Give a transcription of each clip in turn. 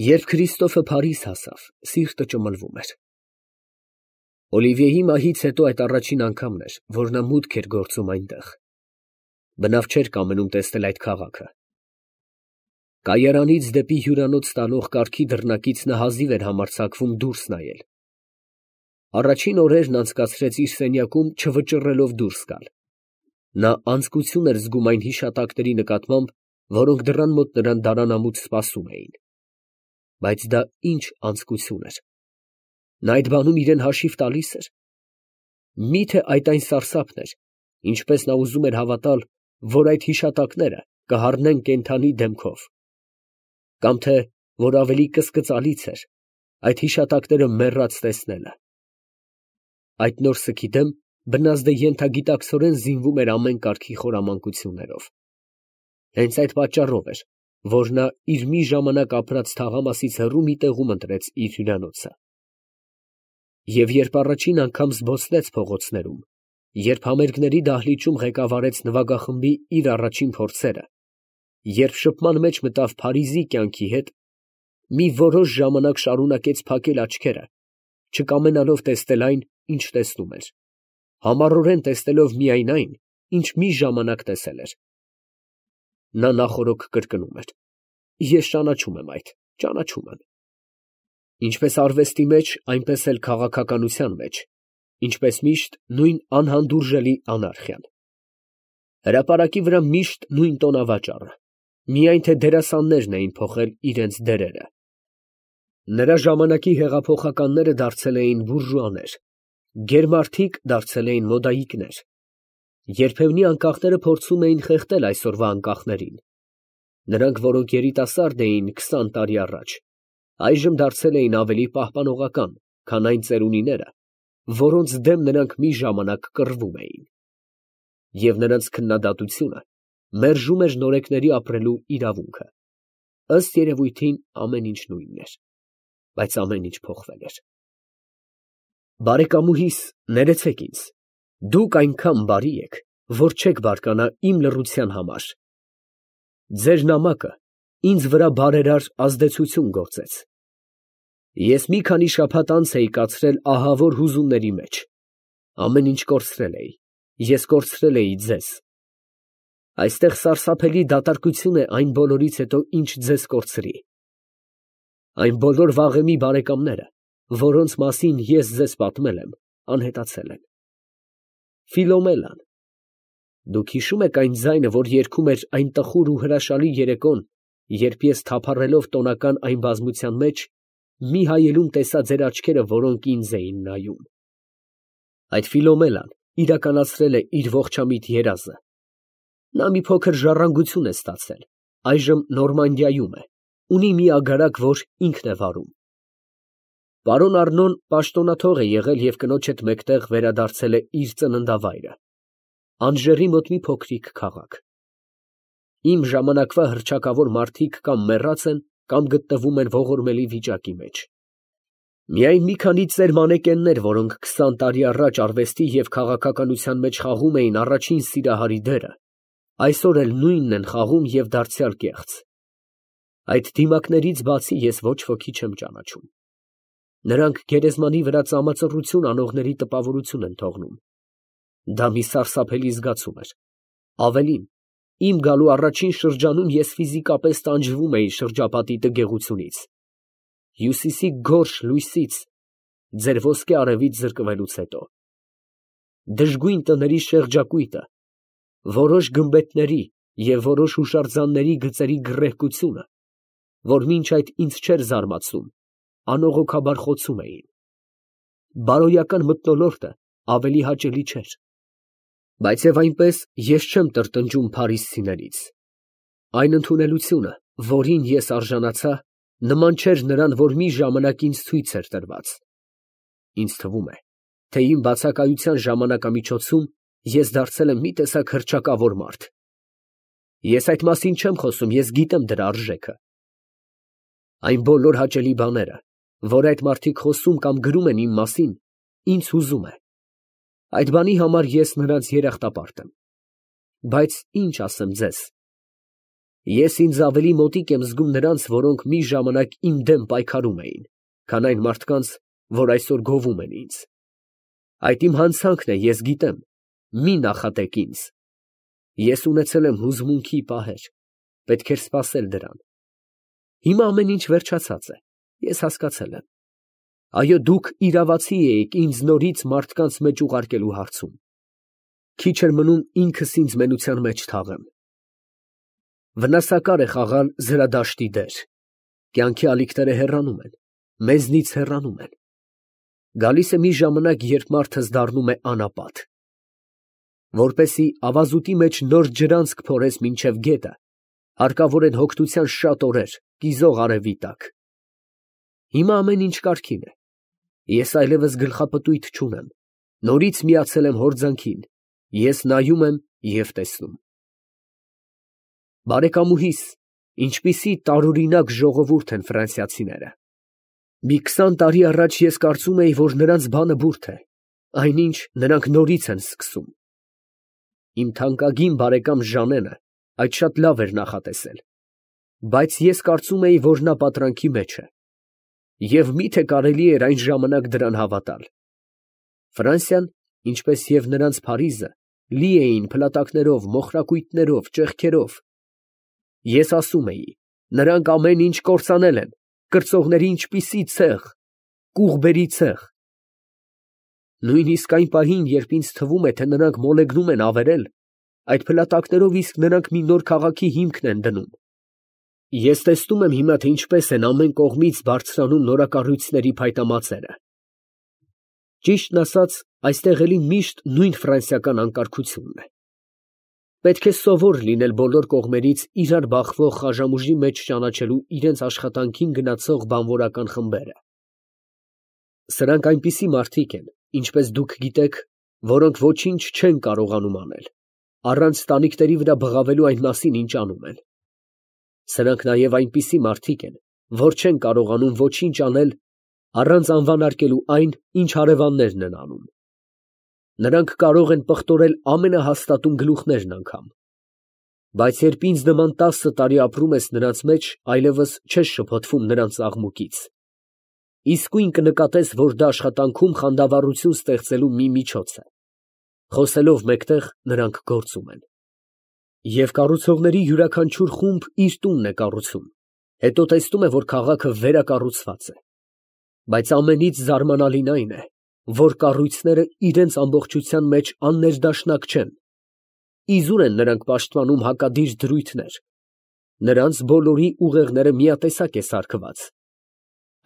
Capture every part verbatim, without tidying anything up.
Երբ Քրիստոֆը Փարիզ հասավ, սիրտը ճմլվում էր։ Օլիվիեի մահից հետո այդ առաջին անգամն էր, որ նա մուտք էր գործում այնտեղ։ Բնավ չէր կամենում տեսնել այդ քաղաքը։ Կայարանից դեպի հյուրանոց տանող կառքի դռնակից նա հազիվ էր համարձակվում դուրս նայել։ Առաջին օրերն անցկացրեց իր սենյակում, չվճռելով դուրս գալ։ Նա անձկություն էր զգում այն հիշատակների նկատմամբ, որոնք դռան մոտ նրան դարանամուտ սպասում էին։ Բայց դա ինչ անձկություն էր։ Նա այդ բանում իրեն հաշիվ տալի՞ս էր։ Մի՞թե այդ այն սարսափն էր, ինչպես նա ուզում էր հավատալ, որ այդ հիշատակները կհառնեն կենդանի դեմքով, կամ թե որ ավելի կսկծալից էր այդ հիշատակները մեռած տեսնելը։ Այդ նոր սգի դեմ բնազդը ենթագիտակցորեն զինվում էր ամեն կարգի խորամանկություններով։ Հենց այդ պատճառով էր, որ նա իր մի ժամանակ ապրած թաղամասից հեռու մի տեղում ընտրեց իր հյուրանոցը։ Եվ երբ առաջին անգամ զբոսնեց փողոցներում, երբ համերգների դահլիճում ղեկավարեց նվագախմբի իր առաջին փորձերը, երբ շփման մեջ մտավ Փարիզի կյանքի հետ, մի որոշ ժամանակ շարունակեց փակել աչքերը, չկամենալով տեսնել այն, ինչ տեսնում էր, համառորեն տեսնելով միայն այն, ինչ մի ժամանակ տեսել էր։ Նա նախօրոք կրկնում էր. «Ես ճանաչում եմ այդ, ճանաչում եմ»։ Ինչպես արվեստի մեջ, այնպես էլ քաղաքականության մեջ, ինչպես միշտ նույն անհանդուրժելի անարխիան։ Հրապարակի վրա միշտ նույն տոնավաճառը, միայն թե դերասաններն էին փոխել իրենց դերերը։ Նրա ժամանակի հեղափոխականները դարձել էին բուրժուաներ, գերմարդիկ դարձել էին մոդայիկներ։ Երբևնի անկախները փորձում էին խեղդել այսօրվա անկախներին։ Նրանք, որոնք երիտասարդ էին քսան տարի առաջ, այժմ դարձել էին ավելի պահպանողական, քան այն ծերունիները, որոնց դեմ նրանք մի ժամանակ կռվում էին։ Եվ նրանց քննադատությունը մերժում էր նորեկների ապրելու իրավունքը։ Ըստ երևույթին ամեն ինչ նույնն էր, բայց ամեն ինչ փոխվել էր։ Բարեկամուհիս, ներեցեք ինձ, դուք այնքան բարի եք, որ չեք բարկանա իմ լռության համար։ Ձեր նամակը ինձ վրա բարերար ազդեցություն գործեց։ Ես մի քանի շաբաթ անց էի կացրել ահավոր հուզումների մեջ։ Ամեն ինչ կորցրել էի, ես կորցրել էի ձեզ։ Այստեղ սարսափելի դատարկություն է այն բոլորից հետո, ինչ ձեզ կորցրի։ Այն բոլոր վաղեմի բարեկամները, որոնց մասին ես ձեզ պատմել եմ, անհետացել են։ Ֆիլոմելան, դուք հիշո՞ւմ եք այն ձայնը, որ երգում էր այն տխուր ու հրաշալի երեկոն, երբ ես թափառելով տոնական այն բազմության մեջ, մի հայելուն տեսա ձեր աչքերը, որոնք ինձ էին նայում։ Այդ Ֆիլոմելան իրականացրել է իր ողջամիտ երազը։ Նա մի փոքր ժառանգություն է ստացել, այժմ Նորմանդիայում է, ունի մի ագարակ, որ ինքն է վարում։ Պարոն Առնոն պաշտոնաթող է եղել և կնոջ հետ մեկտեղ վերադարձել է իր ծննդավայրը, Անժերի մոտ մի փոքրիկ քաղաք։ Իմ ժամանակվա հռչակավոր մարդիկ կամ մեռած են, կամ գտնվում են ողորմելի վիճակի մեջ։ Միայն մի քանի ծեր մանեկեններ, որոնք քսան տարի առաջ արվեստի և քաղաքականության մեջ խաղում էին առաջին սիրահարի դերը, այսօր էլ նույնն են խաղում և դարձյալ կեղծ։ Այդ դիմակներից բացի ես ոչ ոքի չեմ ճանաչում։ Նրանք գերեզմանի վրա ծամածռություն անողների տպավորություն են թողնում։ Դա մի սարսափելի զգացում էր։ Ավելին, իմ գալու առաջին շրջանում ես ֆիզիկապես տանջվում էի շրջապատի տգեղությունից, հյուսիսի գորշ լույսից, ձեր ոսկե արևից զրկվելուց հետո։ Դժգույն տների շեղջակույտը, որոշ գմբեթների և որոշ հուշարձանների գծերի գռեհկությունը, որ մինչ այդ ինձ չէր զարմացնում, անողոքաբար խոցում էին։ Բարոյական մթնոլորտը ավելի հաճելի չէր։ Բայց և այնպես ես չեմ տրտնջում փարիզցիներից։ Այն ընդունելությունը, որին ես արժանացա, նման չէր նրան, որ մի ժամանակ ինձ ցույց էր տրված։ Ինձ թվում է, թե իմ բացակայության ժամանակամիջոցում ես դարձել եմ մի տեսակ հռչակավոր մարդ։ Ես այդ մասին չեմ խոսում, ես գիտեմ դրա արժեքը։ Այն բոլոր հաճելի բաները, որ այդ մարդիկ խոսում կամ գրում են իմ մասին, ինձ հուզում է։ Այդ բանի համար ես նրանց երախտապարտ եմ։ Բայց ինչ ասեմ ձեզ։ Ես ինձ ավելի մոտիկ եմ զգում նրանց, որոնք մի ժամանակ իմ դեմ պայքարում էին, քան այն մարդկանց, որ այսօր գովում են ինձ։ Այդ իմ հանցանքն է, ես գիտեմ, մի նախատեք ինձ։ Ես ունեցել եմ հուզմունքի պահեր, պետք էր սպասել դրան։ Հիմա ամեն ինչ վերջացած է, ես հասկացել եմ։ Այո, դուք իրավացի էիք ինձ նորից մարդկանց մեջ ուղարկելու հարցում։ Քիչ էր մնում ինքս ինձ մենության մեջ թաղեմ։ Վնասակար է խաղալ զրադաշտի դեր։ Կյանքի ալիքները հեռանում են, մեզնից հեռանում են։ Գալիս է մի ժամանակ, երբ մարդս դառնում է անապատ։ Որպեսի ավազուտի մեջ նոր ջրանցք փորես մինչև գետը, հարկավոր են հոգնության շատ օրեր, կիզող արևի տակ։ Հիմա ամեն ինչ կարգին է։ Ես այլևս գլխապտույտ չունեմ, նորից միացել եմ հորձանքին, ես նայում եմ և տեսնում։ Բարեկամուհիս, ինչպիսի տարօրինակ ժողովուրդ են ֆրանսիացիները։ Մի քսան տարի առաջ ես կարծում էի, որ նրանց բանը բուրդ է, այնինչ նրանք նորից են սկսում։ Իմ թանկագին բարեկամ Ժանենը այդ շատ լավ էր նախատեսել, բայց ես կարծում էի, որ նա պատրանքի մեջ է։ Եվ մի՞թե կարելի էր այն ժամանակ դրան հավատալ։ Ֆրանսիան, ինչպես և նրանց Փարիզը, լի էին փլատակներով, մոխրակույտներով, ճեղքերով։ Ես ասում էի, նրանք ամեն ինչ կործանել են, կրծողների ինչպիսի ցեղ, կուղբերի ցեղ։ Նույնիսկ այն պահին, երբ ինձ թվում է, թե նրանք մոլեգնում են ավերել, այդ փլատակներով իսկ նրանք մի նոր քաղաքի հիմքն են դնում։ Ես տեսնում եմ հիմա, թե ինչպես են ամեն կողմից բարձրանում նորակառույցների փայտամածերը։ Ճիշտն ասած, այստեղ էլի միշտ նույն ֆրանսիական անկարգությունն է։ Պետք է սովոր լինել բոլոր կողմերից իրար բախվող խաժամուժի մեջ ճանաչելու իրենց աշխատանքին գնացող բանվորական խմբերը։ Սրանք այնպիսի մարդիկ են, ինչպես դուք գիտեք, որոնք ոչինչ չեն կարողանում անել, առանց տանիքների վրա բղավելու այն մասին, ինչ անում են։ Սրանք նաև այնպիսի մարդիկ են, որ չեն կարողանում ոչինչ անել, առանց անվանարկելու այն, ինչ հարևաններն են անում։ Նրանք կարող են պղտորել ամենահաստատուն գլուխներն անգամ։ Բայց երբ ինձ նման տասը տարի ապրում ես նրանց մեջ, այլևս չես շփոթվում նրանց աղմուկից։ Իսկույն կնկատես, որ դա աշխատանքում խանդավառություն ստեղծելու մի միջոց է։ Խոսելով մեկտեղ, նրանք գործում են։ Եվ կառուցողների յուրաքանչյուր խումբ իր տունն է կառուցում, հետո տեսնում է, որ քաղաքը վերակառուցված է։ Բայց ամենից զարմանալին այն է, որ կառույցները իրենց ամբողջության մեջ աններդաշնակ չեն։ Իզուր են նրանք պաշտպանում հակադիր դրույթներ։ Նրանց բոլորի ուղեղները միատեսակ է սարքված։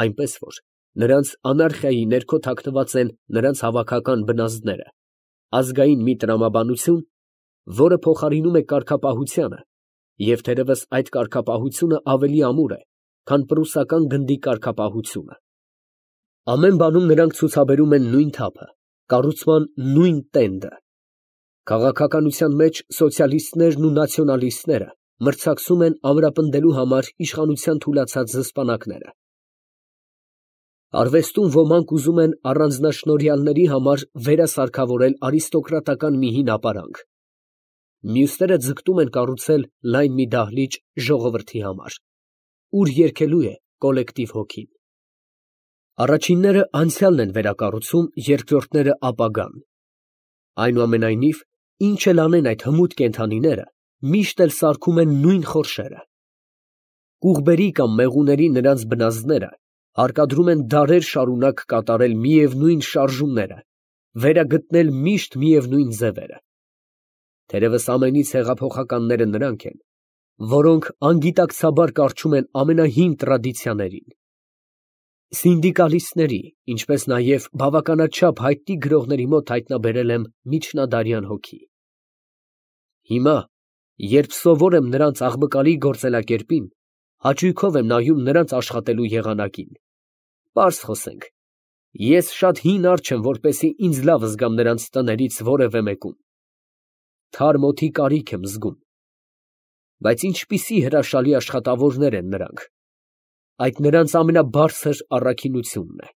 Այնպես որ նրանց անարխիայի ներքո թաքնված են նրանց հավաքական բնազդները, ազգային մի տրամաբանություն, որը փոխարինում է կարգապահությանը, և թերևս այդ կարգապահությունը ավելի ամուր է, քան պրուսական գնդի կարգապահությունը։ Ամեն բանում նրանք ցուցաբերում են նույն թափը, կառուցման նույն տենդը։ Քաղաքականության մեջ սոցիալիստներն ու նացիոնալիստները մրցակցում են ամրապնդելու համար իշխանության թուլացած զսպանակները։ Արվեստում ոմանք ուզում են առանձնաշնորհյալների համար վերասարքավորել արիստոկրատական մի հին ապարանք։ Մյուսները ձգտում են կառուցել լայն մի դահլիճ ժողովրդի համար, ուր երգելու է կոլեկտիվ հոգին։ Առաջինները անցյալն են վերակառուցում, երկրորդները ապագան։ Այնուամենայնիվ, ինչ էլ անեն այդ հմուտ կենդանիները, միշտ էլ սարքում են նույն խորշերը։ Կուղբերի կամ մեղուների նրանց բնազդները հարկադրում են դարեր շարունակ կատարել միևնույն շարժումները, վերագտնել միշտ միևնույն ձևերը։ Թերևս ամենից հեղափոխականները նրանք են, որոնք անգիտակցաբար կառչում են ամենահին տրադիցիաներին։ Սինդիկալիստների, ինչպես նաև բավականաչափ հայտնի գրողների մոտ հայտնաբերել եմ միջնադարյան հոգի։ Հիմա, երբ սովոր եմ նրանց աղբկալի գործելակերպին, հաճույքով եմ նայում նրանց աշխատելու եղանակին։ Պարզ խոսենք, ես շատ հին արջ եմ, որպեսզի ինձ լավ զգամ նրանց տներից որևէ մեկում։ Թարմ օդի կարիք եմ զգում։ Բայց ինչպիսի հրաշալի աշխատավորներ են նրանք։ Այդ նրանց ամենաբարձր առաքինությունն է։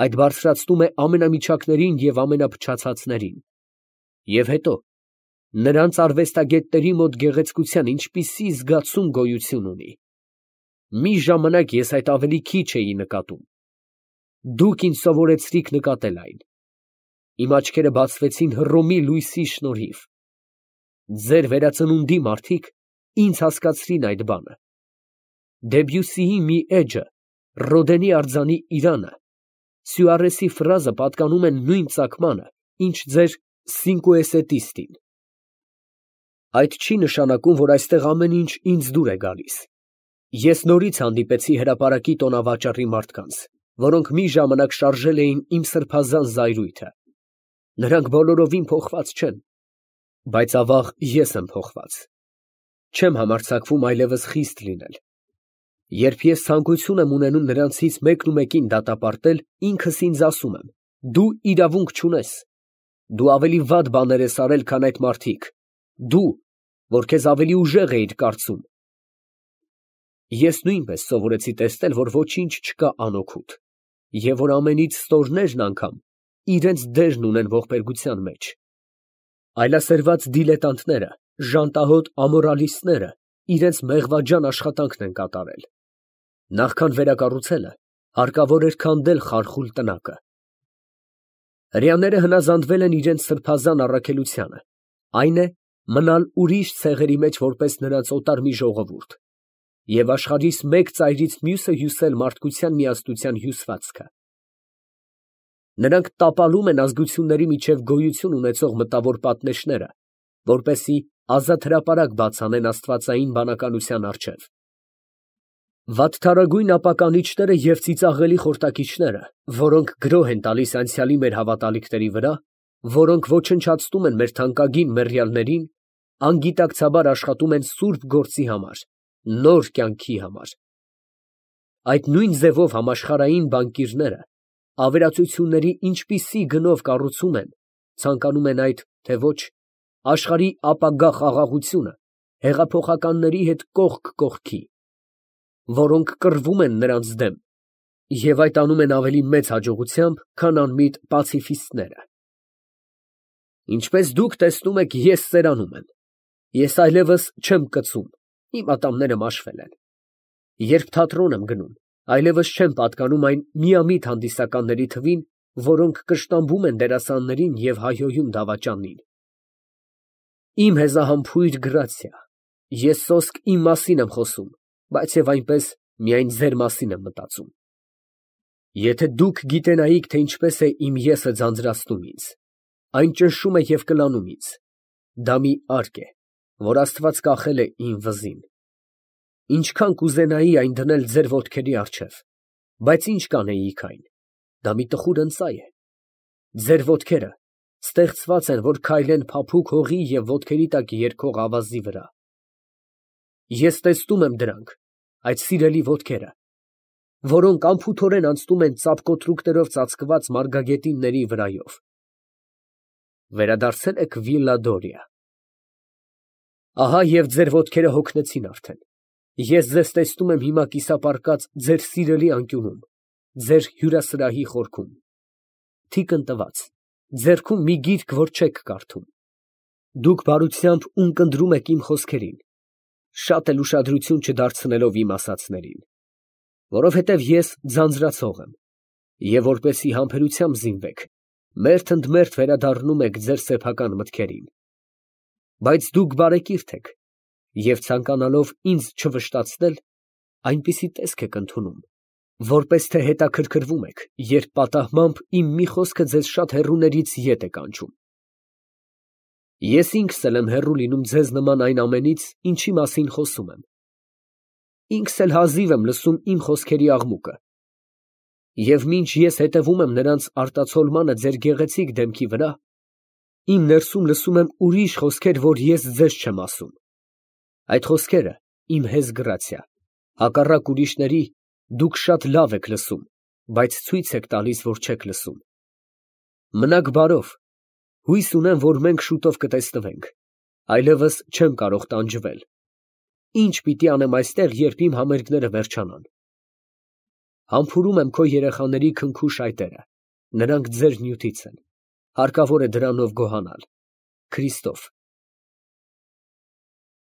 Այդ բարձրացնում է ամենամիջակներին և ամենափչացածներին։ Եվ հետո, Նրանց արվեստագետների մոտ գեղեցկության ինչպիսի զգացում գոյություն ունի։ Մի ժամանակ ես այդ ավելի քիչ էի նկատում։ Դուք ինձ սովորեցրիք նկատել այն։ Իմ աչքերը բացվեցին Հռոմի լույսի շնորհիվ։ Ձեր վերածնունդի մարդիկ ինձ հասկացրին այդ բանը։ Դեբյուսիի մի էջը, Ռոդենի արձանի Իրանը, Սյուարեսի ֆրազը պատկանում են նույն ծագմանը, ինչ ձեր Սինկուեսետիստին։ Այդ չի նշանակում, որ այստեղ ամեն ինչ ինձ դուր է գալիս։ Ես նորից հանդիպեցի հրապարակի տոնավաճառի մարդկանց, որոնք մի ժամանակ շարժել էին իմ սրբազան զայրույթը։ Նրանք բոլորովին փոխված չեն, բայց ավաղ ես եմ փոխված։ Չեմ համարձակվում այլևս խիստ լինել։ Երբ ես ցանկություն եմ ունենում նրանցից մեկն ու մեկին դատապարտել, ինքս ինձ ասում եմ. դու իրավունք չունես։ Դու ավելի վատ բաներ ես արել, քան այդ մարդիկ։ Դու, որ քեզ ավելի ուժեղ էիր կարծում։ Ես նույնպես սովորեցի տեսնել, որ ոչինչ չկա անօգուտ, և որ ամենից ստորներն անգամ իրենց դերն ունեն ողբերգության մեջ։ Այլասերված դիլետանտները, ժանտահոտ ամորալիստները իրենց մեղվաջան աշխատանքն են կատարել։ Նախքան վերակառուցելը, հարկավոր էր քանդել խարխուլ տնակը։ Հրեաները հնազանդվել են իրենց սրբազան առաքելությանը, այն է, մնալ ուրիշ ցեղերի մեջ որպես նրանց օտար մի ժողովուրդ, և աշխարհիս մեկ ծայրից մյուսը հյուսել մարդկության միասնության հյուսվածքը։ Նրանք տապալում են ազգությունների միջև գոյություն ունեցող մտավոր պատնեշները, որպեսզի ազատ հրապարակ բաց անեն աստվածային բանականության առջև։ Վատթարագույն ապականիչները և ծիծաղելի խորտակիչները, որոնք գրոհ են տալիս անցյալի մեր հավատալիքների վրա, որոնք ոչնչացնում են մեր թանկագին մեռյալներին, անգիտակցաբար աշխատում են սուրբ գործի համար, նոր կյանքի համար։ Այդ նույն ձևով համաշխարհային բանկիրները ավերածությունների ինչպիսի գնով կառուցում են, ցանկանում են այդ, թե ոչ, աշխարհի ապագա խաղաղությունը հեղափոխականների հետ կողք կողքի, որոնք կռվում են նրանց դեմ, և այդ անում են ավելի մեծ հաջողությամբ, քան անմիտ պացիֆիստները։ Ինչպես դուք տեսնում եք, ես ծերանում եմ։ Ես այլևս չեմ կծում, իմ ատամները մաշվել են։ Երբ թատրոն եմ գնում, այլևս չեմ պատկանում այն միամիտ հանդիսականների թվին, որոնք կշտամբում են դերասաններին և հայհոյում դավաճանին։ Իմ հեզահամբույր Գրացիա, ես սոսկ իմ մասին եմ խոսում, բայց և այնպես միայն ձեր մասին եմ մտածում։ Եթե դուք գիտենայիք, թե ինչպես է իմ եսը ձանձրացնում ինձ, այն ճնշում է և կլանում ինձ, դա մի արգ է, որ Աստված կախել է իմ վզին։ Ինչքան կուզենայի այն դնել ձեր ոտքերի առջև, բայց ինչ կանեիք այն, դա մի տխուր ընծայ է։ Ձեր ոտքերը ստեղծված են, որ քայլեն փափուկ հողի և ոտքերի տակ երգող ավազի վրա։ Ես տեսնում եմ դրանք, այդ սիրելի ոտքերը, որոնք անփութորեն անցնում են ծափկոտրուկներով ծածկված մարգագետինների վրայով։ Վերադարձե՞լ եք Վիլլա Դորիա։ Ահա և ձեր ոտքերը հոգնեցին արդեն։ Ես ձեզ տեսնում եմ հիմա կիսապարկած ձեր սիրելի անկյունում, ձեր հյուրասրահի խորքում, թիկն տված, ձեռքում մի գիրք, որ չեք կարդում։ Դուք բարությամբ ունկնդրում եք իմ խոսքերին, շատ էլ ուշադրություն չդարձնելով իմ ասածներին, որովհետև ես ձանձրացող եմ, և որպեսզի համբերությամբ զինվեք, մերթ ընդ մերթ վերադառնում եք ձեր սեփական մտքերին։ Բայց դուք բարեկիրթ եք, և ցանկանալով ինձ չվշտացնել, այնպիսի տեսք եք ընդունում, որպես թե հետաքրքրվում եք, երբ պատահմամբ իմ մի խոսքը ձեզ շատ հեռուներից ետ է կանչում։ Ես ինքս էլ եմ հեռու լինում ձեզ նման այն ամենից, ինչի մասին խոսում եմ։ Ինքս էլ հազիվ եմ լսում իմ խոսքերի աղմուկը։ Եվ մինչ ես հետևում եմ նրանց արտացոլմանը ձեր գեղեցիկ դեմքի վրա, իմ ներսում լսում եմ ուրիշ խոսքեր, որ ես ձեզ չեմ ասում։ Այդ խոսքերը, իմ հեզ Գրացիա, հակառակ ուրիշների, դուք շատ լավ եք լսում, բայց ցույց եք տալիս, որ չեք լսում։ Մնաք բարով, հույս ունեմ, որ մենք շուտով կտեսնվենք, այլևս չեմ կարող տանջվել։ Ինչ պիտի անեմ այստեղ, երբ իմ համերգները վերջանան։ Համբուրում եմ քո երեխաների քնքուշ այտերը, նրանք ձեր նյութից են, հարկավոր է դրանով գոհանալ։ Քրիստոֆ։